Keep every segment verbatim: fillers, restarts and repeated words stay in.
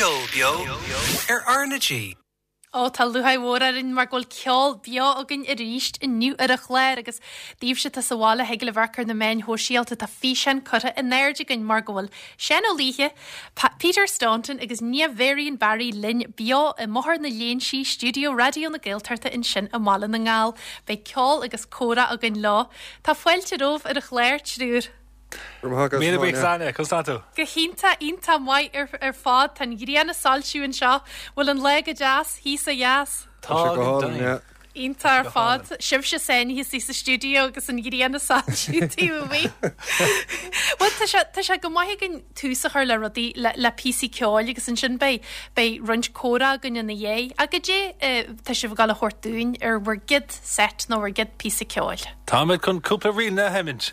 Ceol beo ar R na G. Ó tá lúcháir mhór orainn mar go bhfuil ceol beo againn arís inniu ar an chlár agus daoibhse atá sa bhaile thig libh amharc ar na meáin shóisialta tá físeán curtha in airde againn mar go bhfuil Seán Ó Laoithe, Peter Staunton agus Niamh Varian Barry linn beo i mBóthar na Léinsí, stiúideo Raidió na Gaeltachta ansin i mBaile na nGall. Beidh ceol agus comhrá againn leo. Tá fáilte romhaibh ar an chlár, triúr. Míle buíochas Áine, conas tá tú? Go hiontach iontach maith ar ar fad tá an ghrian ag soilsiú anseo, bhfuil an lá go deas thíos ó dheas? Tá go deimhin. Iontach ar fad. Sibhse sáinnithe istigh sa stiúideo agus an ghrian ag soilsiú taobh amuigh. Bhuel tá sé tá sé go maith againn tús a chur le rudaí le le píosaí ceoil agus ansin beidh beidh roinnt comhrá againn ina dhiaidh. Ach goidé tá sibh ag dul a thabhairt dúinn ar bhur gcéad set nó bhur gcéad píosa ceoil? Táimid chun cúpla ríl a sheinnt.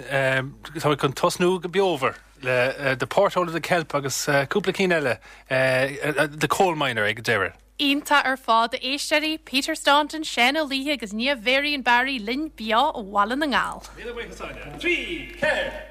Táimid chun tosnú go beomhar le The Porthole of the Kelp agus cúpla cinn eile, The Coal Miner ag an deireadh. Iontach ar fad, a éisteoirí, Peter Staunton, Seán Ó Laoithe agus Niamh Varian Barry linn beo ó Bhaile na nGall. Míle buíochas Áine. Trí, ceathair!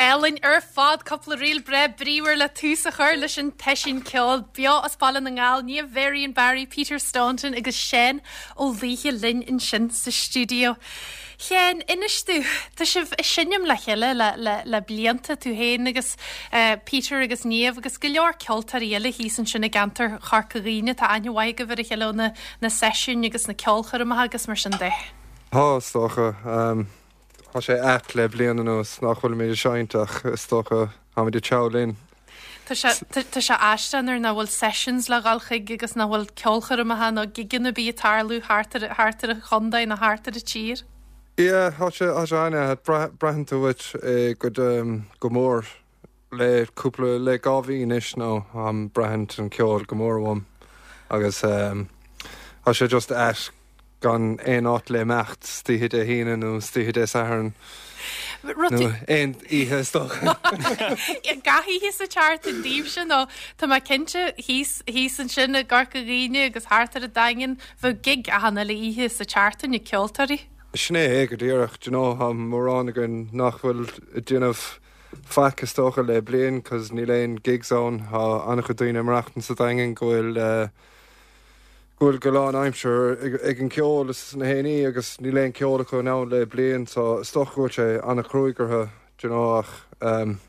Álainn ar fad cúpla ríl breá bríomhar le tús a chur leis an tseisiún ceoil beo as Baile na nGall, Niamh Varian Barry, Peter Staunton agus Seán Ó Laoithe linn ansin sa stiúideo. Sheáin, inis domh, tá sibh ag seinm le chéile le, le, le blianta, tú féin agus uh, Peter agus Niamh agus go leor ceoltóirí eile thíos ansin i gceantar Chorca Dhuibhne, tá aithne mhaith agaibh ar a chéile ó na, na seisiúin agus na ceolchoirmeacha agus mar sin de. Tá, is dócha. Um, tá sé ait le bliain anuas nach bhfuilimid ag seinnt ach is dócha táimid ag treabhadh linn. Tá sé aisteach nuair nach bhfuil sessions le dhul chuig agus nach bhfuil ceolchoirmeacha nó gigeanna bí ag tarlú thart thart ar an chontae nó thart ar an tír. Yeah, tá sé tá sé an braitheann tú uait go go mór le cúpla le dhá mhí anois nó um, braitheann an ceol go mór uaim agus um, tá sé just ait gan aon áit le imeacht istoíche Dé hAoine nó istoíche Dé Sathairn. Nó aon oíche is dócha. Gach oíche sa tseachtain daoibhse nó tá mé cinnte thíos thíos ansin i gCorca Dhuibhne agus thart ar an Daingean bheadh gig achan uile oíche sa tseachtain ag ceoltóirí. Sin é go díreach you know, tá mórán againn nach bhfuil ag déanamh faic is dócha le bliain, cos níl aon gigs ann tá an-chuid daoine maireachtaint sa Daingean go bhfuil uh, go bhfuil go lánaimseartha ag, ag an ceol is na héiní agus níl aon ceol acu ann le bliain so is dócha go bhfuil sé an-chruaidh orthu you know, ach um,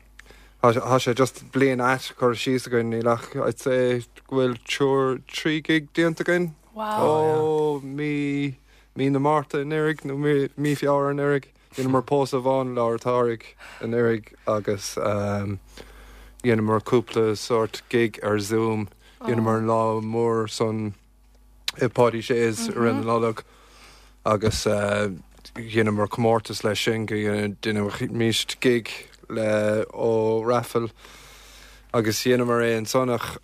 tá sé just bliain ait curtha síos againn níl ach I'd say go bhfuil triúr trí gig déanta againn. Wow. Ó mí mí na Márta anuraidh nó mí, mí Feabhra anuraidh. Dheineamar pósadh amháin lár an tsamhraidh anuraidh agus um, dheineamar cúpla sort gig ar Zoom. Dheineamar an lá mór san i Páidí Shea's mm -hmm. ar an Nollag agus uh, dheineamar comórtas leis sin go ndéanfaimis gig le ó raffle agus dheineamar é ansan ach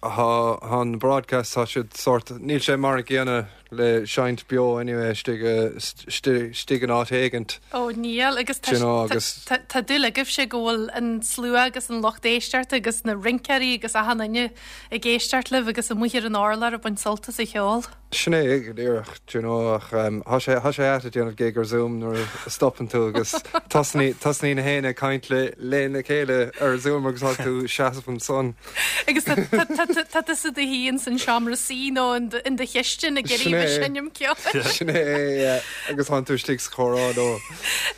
an broadcast tá siad sort níl sé mar a gcéanna le seinnt beo anyway istigh in áit éigint. Ó níl agus You know, agus- tá dúil agaibhse go bhfuil an slua agus an lucht éisteachta agus na rinceoirí agus achan duine ag éisteacht libh agus amuigh ar an urlár ag baint sult as an cheol. Sin é go díreach you know, ach um, tá sé tá sé ait ag déanamh gig ar Zoom nuair a stopann tú agus tosnaíonn na héinne ag caint le lena chéile ar Zoom agus tá tú seasamh ansan. Agus tá tusa i do shuí san seomra suí nó in do chistin ag Sin é. seinm ceoil. Sin é agus tá tú istigh sa chomhrá ó.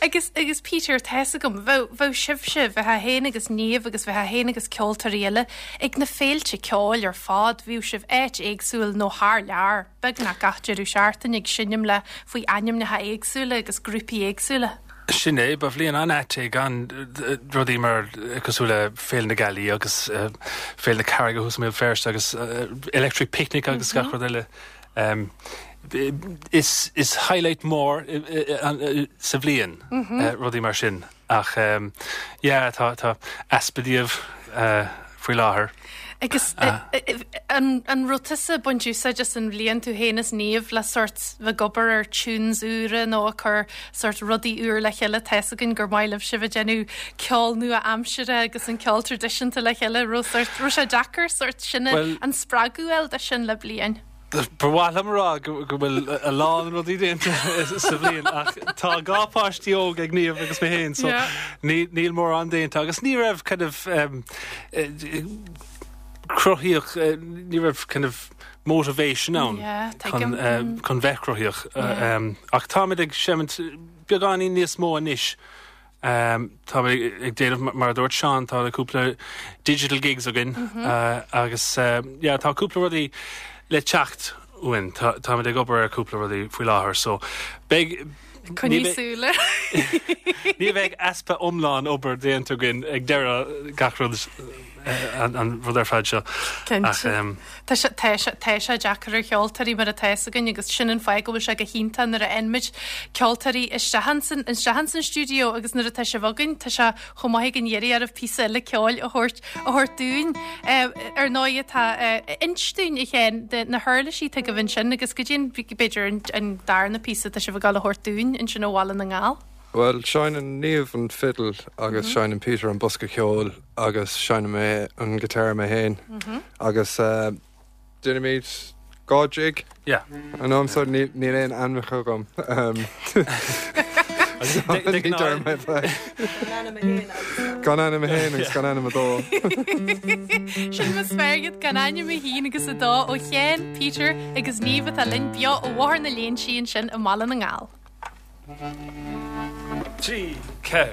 Agus agus Peter tá fhios agam bheadh bheadh sibhse bheith féin agus Niamh agus bheith féin agus ceoltóirí eile ag na féilte ceoil ar fad bhíodh sibh áit éagsúil nó thar lear beagnach gach deireadh seachtaine ag seinm le faoi ainmneacha éagsúla agus grúpaí éagsúla. Sin é ba bhliain an-ait é gan rudaí mar cosúil le Féile na Gealaí agus uh, Féile na Carraige thuas i mBéal Feirste agus uh, Electric Picnic agus gach rud eile. Um, is, is highlight mór sa bhliain mm -hmm. uh, rudaí mar sin ach um, yeah, tá tá easpa díobh uh, faoi láthair. Agus an, an raibh tusa ag baint úsáid as an bhliain tú féin is Niamh le sort bheith ag obair ar tunes úra nó ag cur sort rudaí úr le chéile tá fhios againn gur maith libh sibh ag déanamh ceol nua-aimseartha agus an ceol traidisiúnta le chéile raibh sort raibh sé deacair sort sin Well- an spreagadh a fháil de sin le bliain. Ba mhaith liom rá go go bhfuil a lán rudaí déanta sa bhliain ach tá dhá pháistí óg ag Niamh agus mé féin so Yeah. ní níl mórán déanta agus ní raibh kind of um, eh, cruthaíoch eh, ní raibh kind of motivation ann Yeah, chun tuigim. eh, chun bheith cruthaíoch Yeah. um, ach táimid ag seimint beagáinín níos mó anois Um, tá ag déanamh mar dúirt Seán tá cúpla digital gigs againn mm -hmm. uh, agus uh, yeah, tá cúpla rudaí le teacht uainn tá ag obair ar cúpla rudaí faoi láthair so beidh Coinnigh súil. Ní bheidh easpa iomlán obair déanta againn ag deireadh gach rud an, an rud ar fad seo. Cinnte. Tá sé tá sé tá sé deacair ar cheoltóirí mar atá fhios againn agus sin an fáth go bhfuil sé go hiontach nuair a fhaigheann ceoltóirí isteach ansan isteach ansan stiúideo agus nuair atá sibh againn tá sé chomh maith ag an iarraidh ar píosa eile ceoil a thabhairt a thabhairt dúinn ar ndóigh atá inis dúinn a Sheáin de na huirlisí atá agaibh ansin agus go dtí b'fhéidir an, an darna píosa tá sibh ag gabháil a thabhairt dúinn ansin ó Bhaile na nGall. Well, seinneann Niamh an fiddle agus mm -hmm. seinneann Peter an bosca ceoil agus seinnim mé an guitar mé féin mm -hmm. agus uh, déanaimid dhá jig Yeah. An am so níl níl aon ainmneacha agam. Um, ní deir mé fe. Gan ainm a haon agus gan ainm a dó. Sin mas feargad gan ainm a haon agus a dó ó Sheán Peter agus Niamh atá linn beo ó Bhóthar na Léinsí ansin i mBaile na nGall. Trí ce.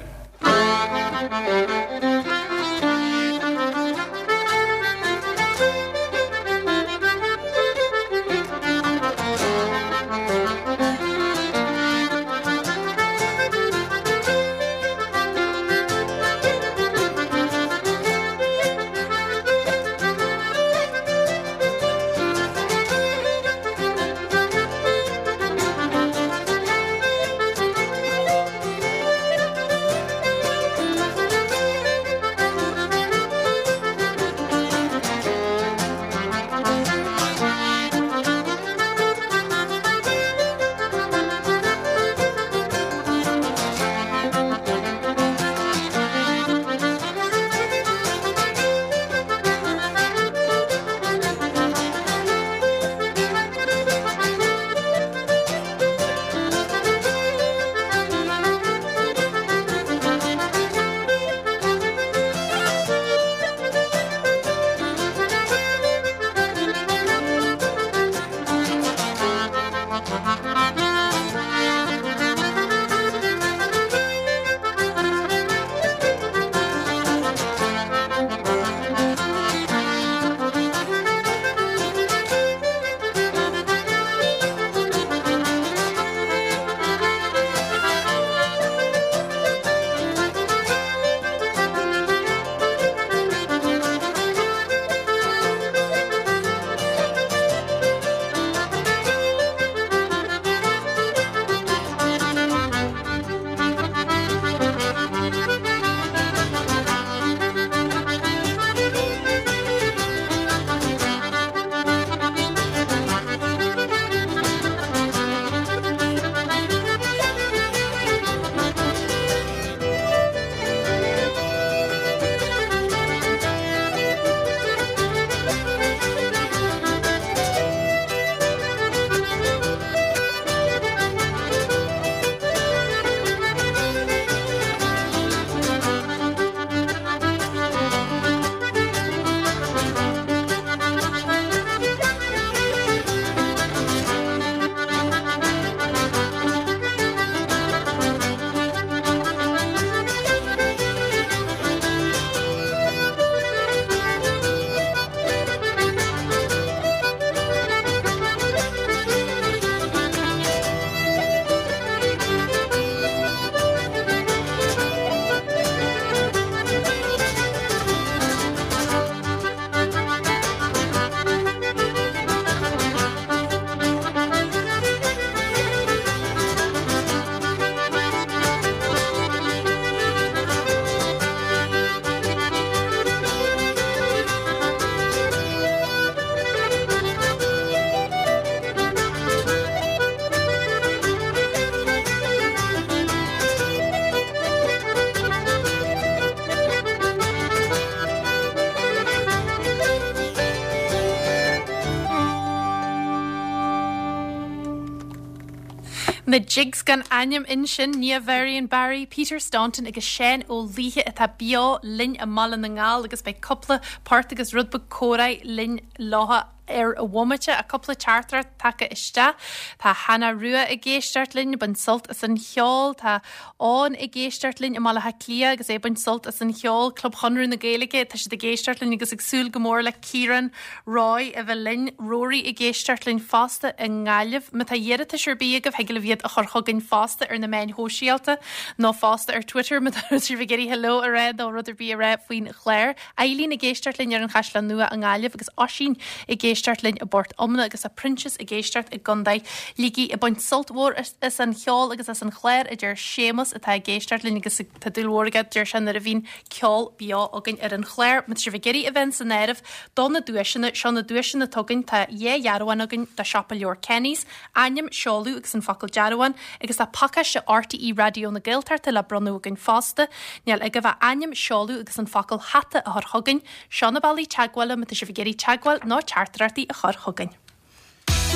Na Jigs gan ainm ansin Niamh Varian Barry, Peter Staunton agus Seán Ó Laoithe atá beo linn i mBaile na nGall agus beidh cúpla port agus rud beag comhrá linn leo ar an bhomaite a cúpla teachtaireacht tagtha isteach. Tá Hannah Rua ag éisteacht linn baint sult as an cheol, Tá án ag éisteacht linn i mBaile Átha Cliath agus é baint sult as an cheol Club Chonradh na Gaeilge, tá siad ag éisteacht linn agus ag súil go mór le Ciarán Roy a bheith linn Rory ag éisteacht linn fosta i nGaillimh, Má tá iarratas ar bith agaibh thig libh iad a chur chugainn fosta ar na meáin shóisialta nó fosta ar Twitter má tá sibh ag iarraidh hello a rá nó rud ar bith a rá faoin chlár. Eileen ag éisteacht linn ar an Chaisleán Nua i nGaillimh agus Oisín ag éisteacht linn i bPort Omna agus a Proinsias ag éisteacht i gContae Shligigh ag baint sult mhór as an cheol agus as an chlár a deir Séamus atá ag éisteacht linn agus tá dúil mhór aige deir sé nuair a bhíonn ceol beo againn ar an chlár, Má tá sibh ag iarraidh a bheith san áireamh do na duaiseanna seo na duaiseanna atá againn tá dhá dhearbhán againn de siopa leabhar Kenny's, ainm seoladh agus an focal dearbhán agus tá pacáiste RTÉ Raidió na Gaeltachta le bronnadh againn fosta, Níl agaibh ach ainm seoladh agus an focal hata a chur chugainn, seo na bealaí teagmhála má tá sibh ag iarraidh teagmháil nó teachtaireachtaí a chur chugainn.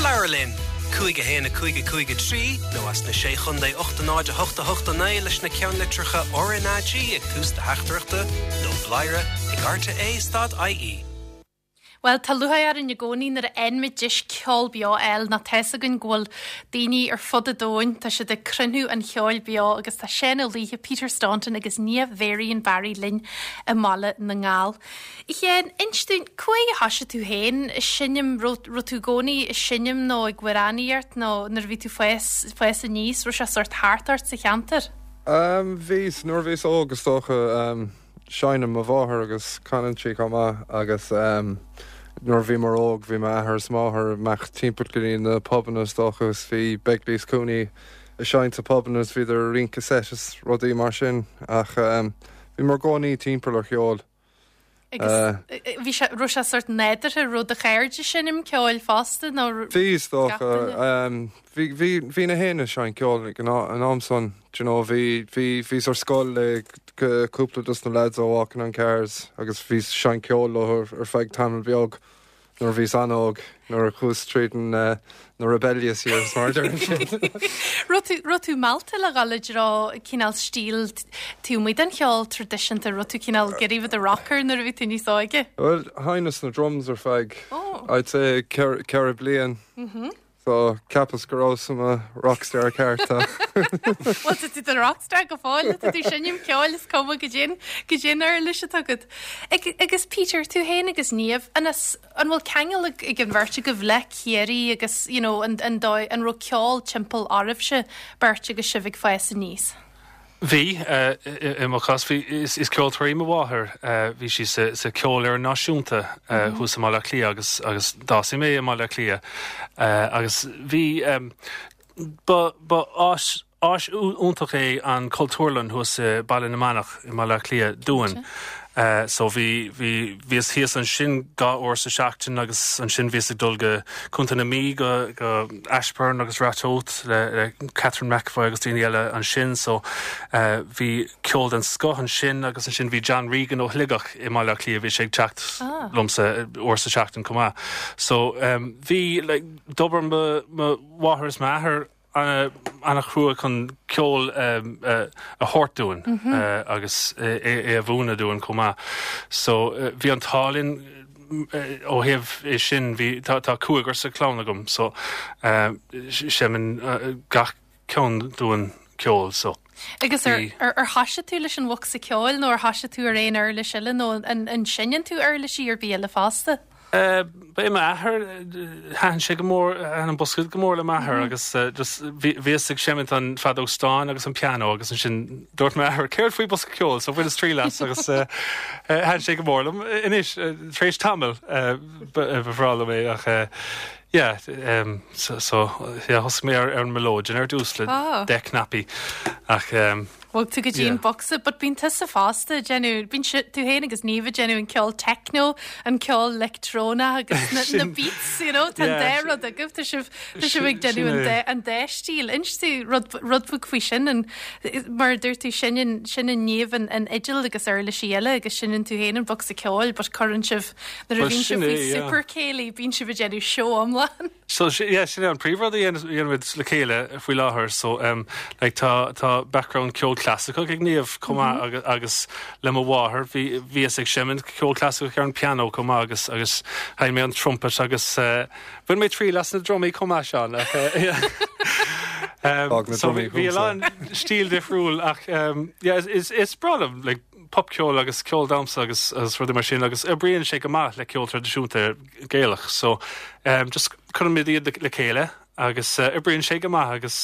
Labhair linn, cúig a haon a cúig a cúig a trí nó as na sé chontae ocht a náid a hocht a hocht a naoi leis na ceannlitreacha RnaG ag tús do theachtaireachta nó bladhaire ag RTÉ dot IE. Well tá lúcháir orainn i gcónaí nuair a fhaigheann deis ceol beo eil ná tá a fhios againn go bhfuil daoine ar fud an domhain, tá siad ag cruinniú an cheoil beo agus tá Seán Ó Laoithe Peter Staunton agus Niamh Varian Barry linn i mBaile na nGall. Sheáin inis dúinn cá huair a thosaigh tú féin seinm raibh tú i gcónaí ag seinm nó ag amhránaíocht nó nuair a bhí tú fás fás aníos raibh sé sort thart ort sa cheantar? Um, bhís nuair bhíos óg is dócha um, seinneann mo mháthair agus canann sí chomh maith agus um, nuair bhí mar óg bhí m'athair is máthair amach timpeall go dtí na pubanna is dócha agus bhí Begley's Cooney ag seinnt sa pubanna is bhíodar ag rince set is rudaí mar sin ach um, bhí mar gcónaí timpeall ar cheol. Agus bhí sé raibh sé sort nádúrtha raibh do chairde seinm ceoil fosta nó Bhí is dócha um, bhí bhí bhí na héine sein ceol ag an an am san you know, bhí bhí bhí ar scoil le cúpla dos na lads ó Walking on Cars agus bhí seinnt ceol leo ar feadh tamall beag nuair bhíos an-óg nuair a chuas tríd an uh, na rebellious years mar sin. Raibh tú raibh tú meallta le dhul i dtreo cineál stíl tú muid an cheol traidisiúnta raibh tú cineál ag iarraidh bheith i do rocker nuair a bhí tú níos óige. Well sheinneas na drums ar feadh Oh. I'd say ceithre bliain. Mm -hmm. So cheapas go raibh sam a rockstar ceart. Well tá tú do rockstar go fóill tá tú seinm ceoil is cuma goidé goidé an uirlis atá agat. Agus Peter tú féin agus Niamh anas an bhfuil ceangal ag ag an bheirt agaibh le Ciarraí agus you know, an, an, dóigh an raibh ceol timpeall oraibhse beirt agus sibh ag fás aníos. Bhí i mo chás bhí is, is ceoltóir í mo mháthair bhí sí sa, sa Cheolfhoireann Náisiúnta thuas i mBaile Átha Cliath agus agus d'fhás mé i mBaile Átha Cliath agus bhí um, ba ba áis áis iontach é an Cultúrlann thuas i Baile na Manach i Baile Átha Cliath dúinn. Uh, so bhí bhí bhíos thíos ansin dhá uair sa seachtain agus ansin bhíos ag dul go Contae na Mí go go Ashbourne agus Ratoath le, le Catherine McAvoy agus daoine eile ansin so uh, bhí ceol den scoth ansin agus ansin bhí John Regan ó Shligeach i Baile Átha Cliath bhí sé ag teacht Ah. liomsa uair sa seachtain chomh maith. So um, bhí like, d'obair mo mháthair is m'athair an-chrua chun ceol um, uh, a thabhairt dúinn mm -hmm. uh, agus é, é a mhúineadh dúinn chomh maith. So uh, bhí an t-ádh linn ó thaobh é sin bhí tá tá cúigear sa chlann agam so uh, seinneann uh, gach ceann dúinn ceol so. Agus ar ar ar thosaigh tú leis an bhosca ceoil nó ar thosaigh tú ar aon uirlis eile nó an an seinneann tú uirlisí ar bith eile fosta? Uh, Ba é m'athair thaitin sé go mór an bosca go mór le m'athair mm -hmm. agus uh, just bhíos ag seimint an feadóg stáin agus an piano agus ansin dúirt m'athair céard faoi bosca ceoil so bhaineas triail as agus uh, uh, thaitin sé go mór liom anois uh, tar éis tamaill uh, ba bhreá liom é ach uh, yeah, um, so, so yeah, thosaigh mé ar ar an mileodeon ar dtús le Ah. deich cnaipí ach um, Bhog tú go dtí an bosca, but bíonn tusa fosta déanamh bíonn tú féin agus Niamh déanamh an ceol techno, an ceol leictreonach agus na, na beats, you know, tá Yeah, dá rud agaibh tá sibh tá sibh ag déanamh an dá an dá stíl. Inis tú rud rud beag faoi sin an mar dúirt tú sin sin an Niamh an, an fhidil agus uirlisí eile agus seinneann tú féin an bosca ceoil, but cuireann sibh nuair a Well, bhíonn sin sibh é, faoi yeah. super céilí bíonn sibh ag déanamh seó iomlán. So yeah, sin an príomhrud a dhéanaimid le chéile faoi láthair so um, like, tá tá background ceol clasaiceach ag Niamh chomh maith mm -hmm. agus, agus le mo mháthair bhí bhí ag seinm ceol clasaiceach ar an piano chomh maith agus agus sheinn mé an trumpet agus uh, bhain mé triail as na drumaí chomh maith Seán um, so bhí an stíl difriúil ach um, yeah, is, is breá liom like, popcheol agus ceol damhsa agus agus rudaí mar sin agus oibríonn sé go maith le ceol traidisiúnta Gaelach so um, just cuirimid iad le chéile agus uh, oibríonn sé go maith agus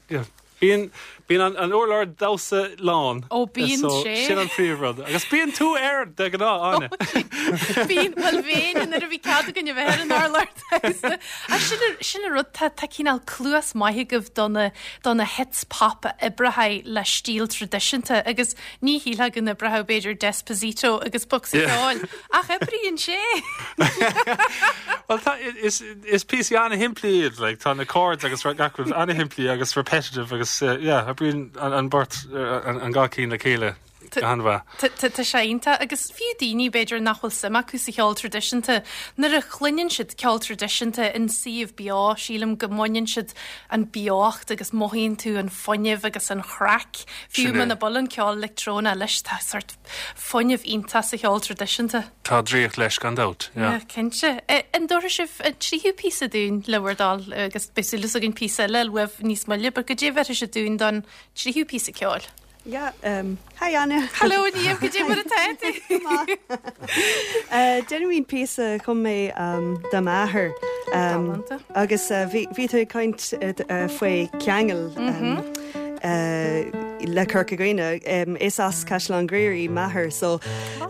yeah, bíonn bíonn an, an urlár damhsa lán ó bíonn so, sé sin an príomhrud agus bíonn tú air de ghnáth Áine Bíonn well bhíonn nuair a bhí cead againn a bheith ar an urlár damhsa a sin sin an rud tá tá cineál cluas maith agaibh do na do na hits pop a oibreoidh le stíl traidisiúnta agus ní shílfeá go n-oibreodh b'fhéidir Despacito agus bocsa ceoil ach oibríonn sé Well tá is is píosaí an-shimplí iad like, tá na chords agus gach rud an-shimplí agus repetitive agus uh, yeah, oibríonn an, an beirt uh, an, an gá cinn le chéile an-mhaith. Tá sé iontach agus fiú daoine b'fhéidir nach bhfuil suim acu sa cheol traidisiúnta nuair a chluineann siad ceol traidisiúnta in suíomh beo sílim go mbaineann siad an beocht agus mothaíonn tú an fuinneamh agus an chraic fiú Sin é. muna bhfuil an ceol leictreonach leis tá sort fuinneamh iontach sa cheol traidisiúnta. Tá draíocht leis gan dabht. Yeah. Yeah, cinnte. An dtabharfaidh sibh an tríú píosa dúinn le bhur dtoil agus beidh súil againn píosa eile uaibh níos moille, but goidé a bhéarfaidh sibh dúinn don tríú píosa ceoil. Yeah, um, hi Anna. Hello Niamh goidé mar atá tú. Uh, Déanaimid píosa a chum mé um, do m'athair. Um, Galánta. agus uh, bhí bhí tú ag caint uh, uh, faoi ceangal um, uh, le Corca Dhuibhne um, is as Caisleán Ghriaire m'athair so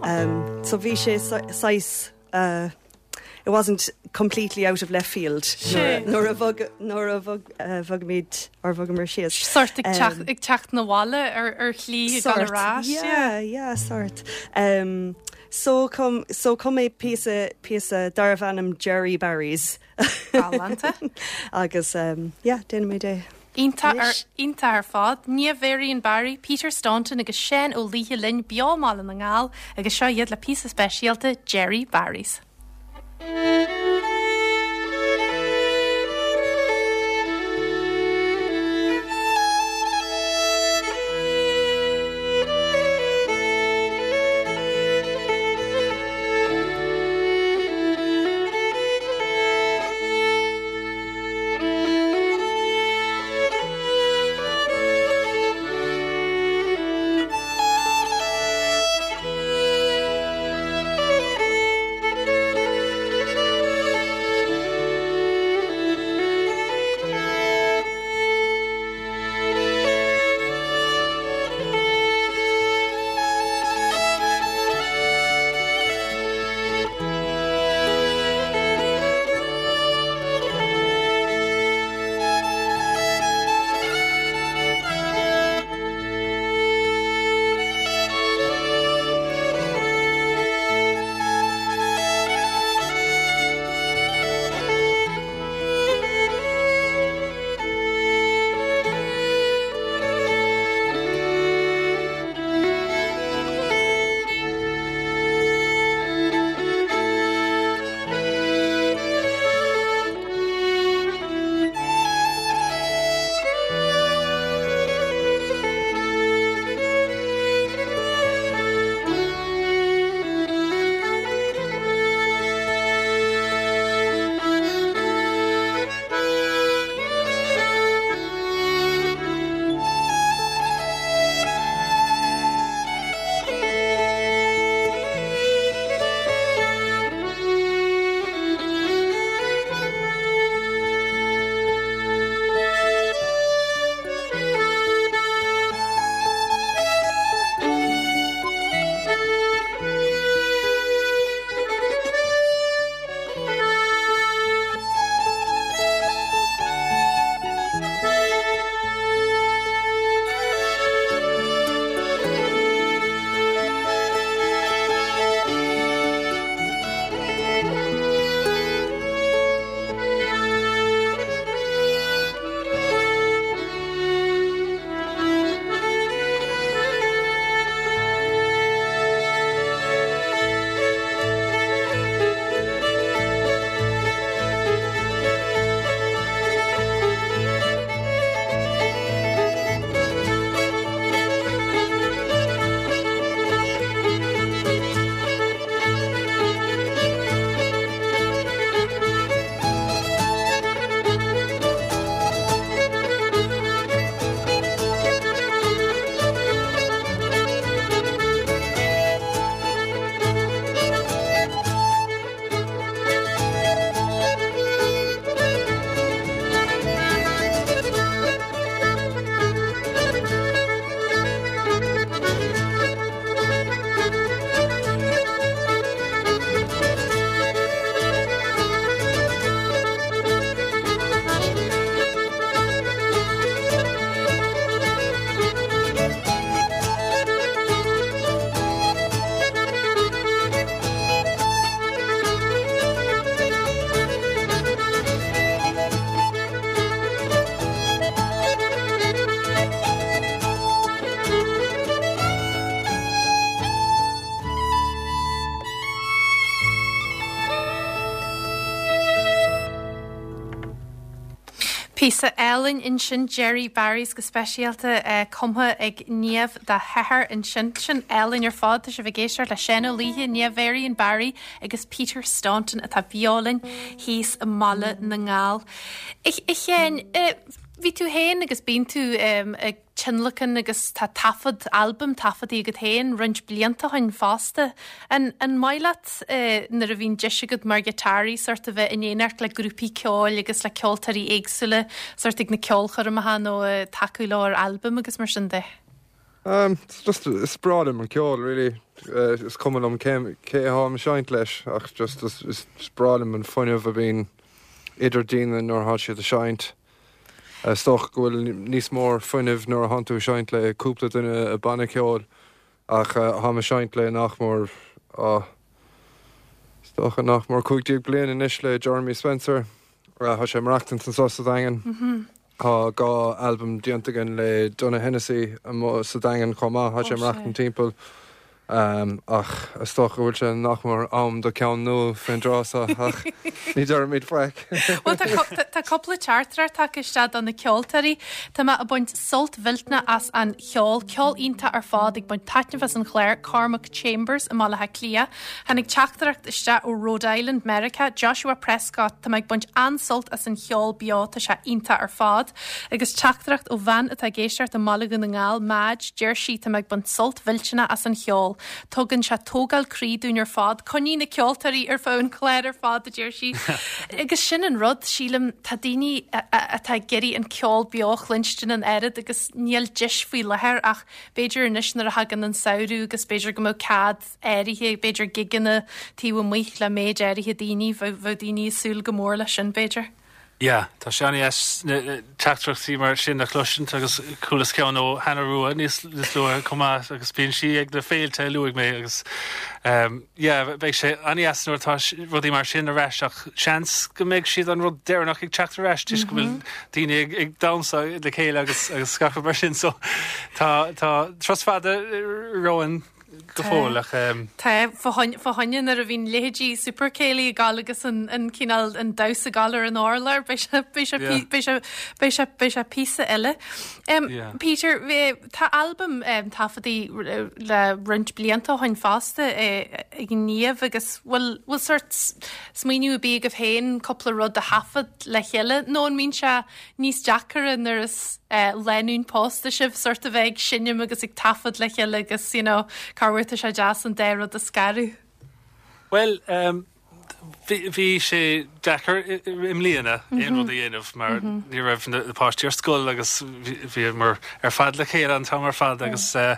um, so bhí sé sais uh, it wasn't completely out of left field Sé. nuair a bhog nuair a bhog uh, bhogaimid ar bhogamar síos. Sort ag teacht Um, ag teacht na bhaile ar ar shlí ag dul ar ais. Yeah, yeah, sort. Um, so chum so chum mé píosa píosa darbh ainm Jerry Barry's Galánta. agus um, yeah, déanaimid é. Iontach ar Anois. iontach ar fad, Niamh Varian Barry, Peter Staunton agus Seán Ó Laoithe linn beo i mBaile na nGall agus seo iad le píosa speisialta Jerry Barry's. Thank Píosa álainn ansin Jerry Barry's go speisialta uh, cumtha ag Niamh dá hathair ansin sin álainn ar fad tá sibh ag éisteacht le Seán Ó Laoithe Niamh Varian Barry agus Peter Staunton atá beo linn thíos i mBaile na nGall. A Sheáin bhí tú féin agus bíonn tú um, ag tionlacan agus tá taifead albam taifeadta agat féin roinnt blianta ó shin fosta. An, an maith leat uh, nuair a bhíonn deis agat mar ghiotáraí sort a bheith in éineacht le grúpaí ceoil agus le ceoltóirí éagsúla sort ag na ceolchoirmeacha nó uh, tacú le ar albam agus mar sin de. Um, it's just is breá liom an ceol really. Uh, is cuma liom cé cé tháim ag seinnt leis ach just is, is breá liom an fuinneamh a bhíonn idir daoine nuair atá siad ag seinnt. Is dócha go bhfuil níos mór fuinneamh nuair atá tú ag seinnt le cúpla duine i banna ceoil ach uh, tháim ag seinnt le nach mór uh, is dócha nach mór cúig déag bliain anois le Jeremy Spencer uh, Tá sé maireachtaint anseo sa Daingean. Mm -hmm. Tá dhá albam déanta againn le Donagh Hennessy sa Daingean chomh maith tá sé maireachtaint timpeall. Um, ach is dócha go bhfuil sé nach mór am do cheann nua faoin dtráth ach ní deirimid faic. Well tá cúpla teachtaireacht tagtha isteach do na ceoltóirí Tá mé ag baint sult millteanach as an cheol ceol iontach ar fad ag baint taitneamh as an chlár Cormac Chambers i Mbaile Átha Cliath. Tháinig teachtaireacht isteach ó Rhode Island, America, Joshua Prescott Tá mé ag baint an-sult as an cheol beo tá sé iontach ar fad. agus teachtaireacht ó bhean atá ag éisteacht i mBaile na nGall Madge deir sí tá mé ag baint sult millteanach as an cheol. Tugann sé tógáil croí dúinn ar fad, coinnigh na ceoltóirí ar feadh an chláir ar fad a deir sí. Agus sin an rud sílim tá daoine atá ag iarraidh an ceol beo a chluinstin an oiread agus níl deis faoi láthair ach b'fhéidir anois nuair a thagann an samhradh agus b'fhéidir go mbeadh cead áirithe b'fhéidir gigeanna taobh amuigh le méid áirithe daoine bheadh daoine ag súil go mór leis sin b'fhéidir. Ja, tá sé an-deas teachtaireachtaí mar sin a chloisint agus chualas ceann ó Hannah Rua níos luaithe chomh maith agus bíonn sí ag na féilte a luaigh mé agus um, yeah, beidh sé an-deas nuair atá rudaí mar sin ar ais ach seans go mbeidh siad an rud deireanach ag teacht ar ais go bhfuil mhm. daoine ag, ag damhsa le chéile agus agus scaipeadh mar sin so tá tá turas fada romhainn go fóill ach Tá fá choinne nuair a bhíonn leithéidí Super Céilí ag gabháil agus an an cineál an damhsa ag gabháil ar an urlár beidh sé píosa eile. Um, yeah. Peter tá albam um, taifeadta le roinnt blianta ó shin fosta ag Niamh agus bhfuil bhfuil sort smaoineamh ar bith agaibh féin cúpla rud a thaifead le chéile nó an mbíonn sé níos deacra nuair is uh, lánúin pósta sibh sort a bheith ag seinm agus ag taifead le chéile agus you know, corruair tá sé deas an dá rud a scaradh. Well, um, bhí sé deacair i mbliana aon rud a dhéanamh mar mhm. ní raibh na páistí ar scoil agus bhíomar ar fad le chéile an t-am ar fad agus uh,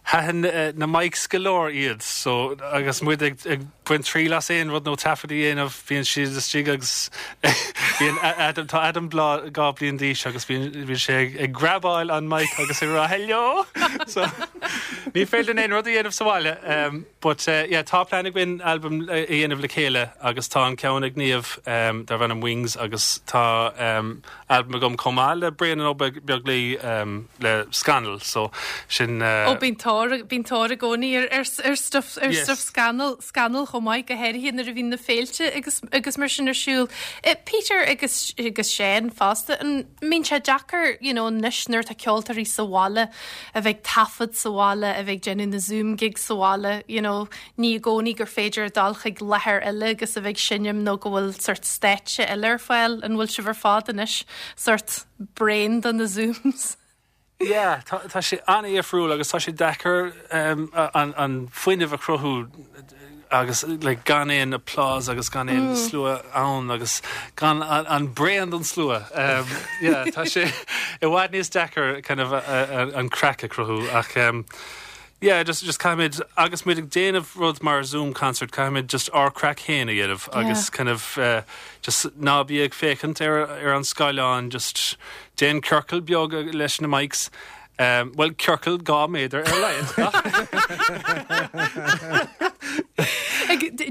thaitin uh, na mics go leor iad so agus muid ag, ag baint triail as aon rud nó taifead a dhéanamh bíonn siad istigh agus bíonn Adam tá Adam blá dhá bliain d'aois agus bhíonn sé ag, ag grabáil an mic agus ag rá hello so ní féidir aon rud a dhéanamh sa bhaile um, but uh, yeah, tá plean againn album a dhéanamh le chéile agus tá an ceann ag Niamh um, darb ainm Wings agus tá um, album agam chomh maith le Brian Ó Beaglaoi um, le Scannal so sin uh, Ó bíonn tóir bíonn tóir i gcónaí ar ar ar stuff ar yes. stuff Scannal Scannal chomh maith go háirithe nuair a bhíonn na féilte agus agus mar sin ar siúl. Eh, Peter agus agus Seán fosta an mbíonn sé deacair you know, anois nuair atá ceoltóirí sa bhaile a bheith taifead sa bhaile a bheith déanamh na Zoom gig sa bhaile you know, ní i gcónaí gur féidir dul chuig láthair eile agus a bheith seinm nó go bhfuil sort stáitse eile ar fáil an bhfuil sibh ar fad anois sort bréan de na Zooms. Yeah, tá tá sé an-difriúil agus tá sé deacair um, an, an fuinneamh a chruthú agus like, gan aon applause agus gan aon mm. slua ann agus gan an, an braon don slua. Um, yeah, tá sé i bhfad níos deacair kind of a, a, an craic a chruthú ach um, yeah, just just caithfimid agus muid ag déanamh rud mar Zoom concert caithfimid just ár craic féin a dhéanamh agus kind of uh, just ná bí ag féachaint ar ar an scáileán just déan ciorcal beag leis na mics. Um, well ciorcal dhá méadar ar lein.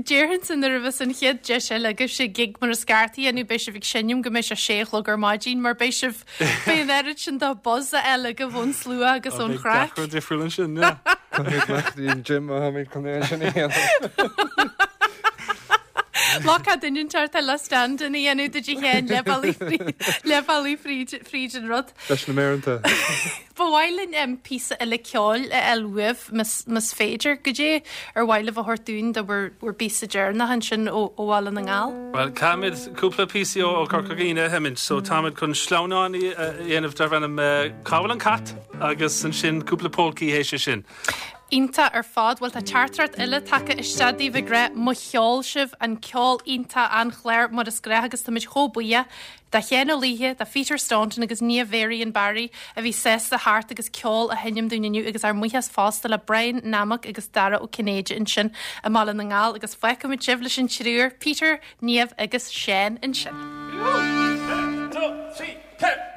Déarfainn san nuair a bheas an chéad deis eile agaibh sé gig mar is ceart a dhéanamh beidh sibh ag seinm go mbeidh sé sé a chlog ar maidin mar beidh sibh beidh an oiread sin de buzz eile go ón slua agus ón chraic. difriúil ansin. Jim chun é sin. Lá duine teart le stand in dhéanú do chéin le fríd an rud. Leis na méanta. Ba mhaith linn um, píosa eile ceoil a fháil uaibh más féidir go dé ar mhaith libh a thabhairt dúinn do bhur bhur bpíosa deireanach ansin ó ó Bhaile na nGall. Well caithfimid cúpla píosa ó Corca Dhuibhne a sheinm, so táimid chun sleamhnán a dhéanamh darb ainm Cá bhfuil an cat agus ansin cúpla polcaí théis sin. Iontach ar fad, bhfuil tá teachtaireacht eile tagtha isteach daoibh ag rá mo cheol sibh an ceol iontach an chléir mar is gnách agus táimid chomh buíoch do Sheán Ó Laoithe, do Peter Staunton agus Niamh Varian Barry a bhí sásta thart agus ceol a sheinm dúinn inniu agus ár mbuíochas fosta le Brian Nammock agus Dara Ó Cinnéide ansin i mBaile na nGall agus feicfimid sibh leis an triúr Peter, Niamh agus Seán ansin. Two, three, four.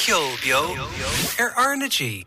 Ceol Beo ar R na G.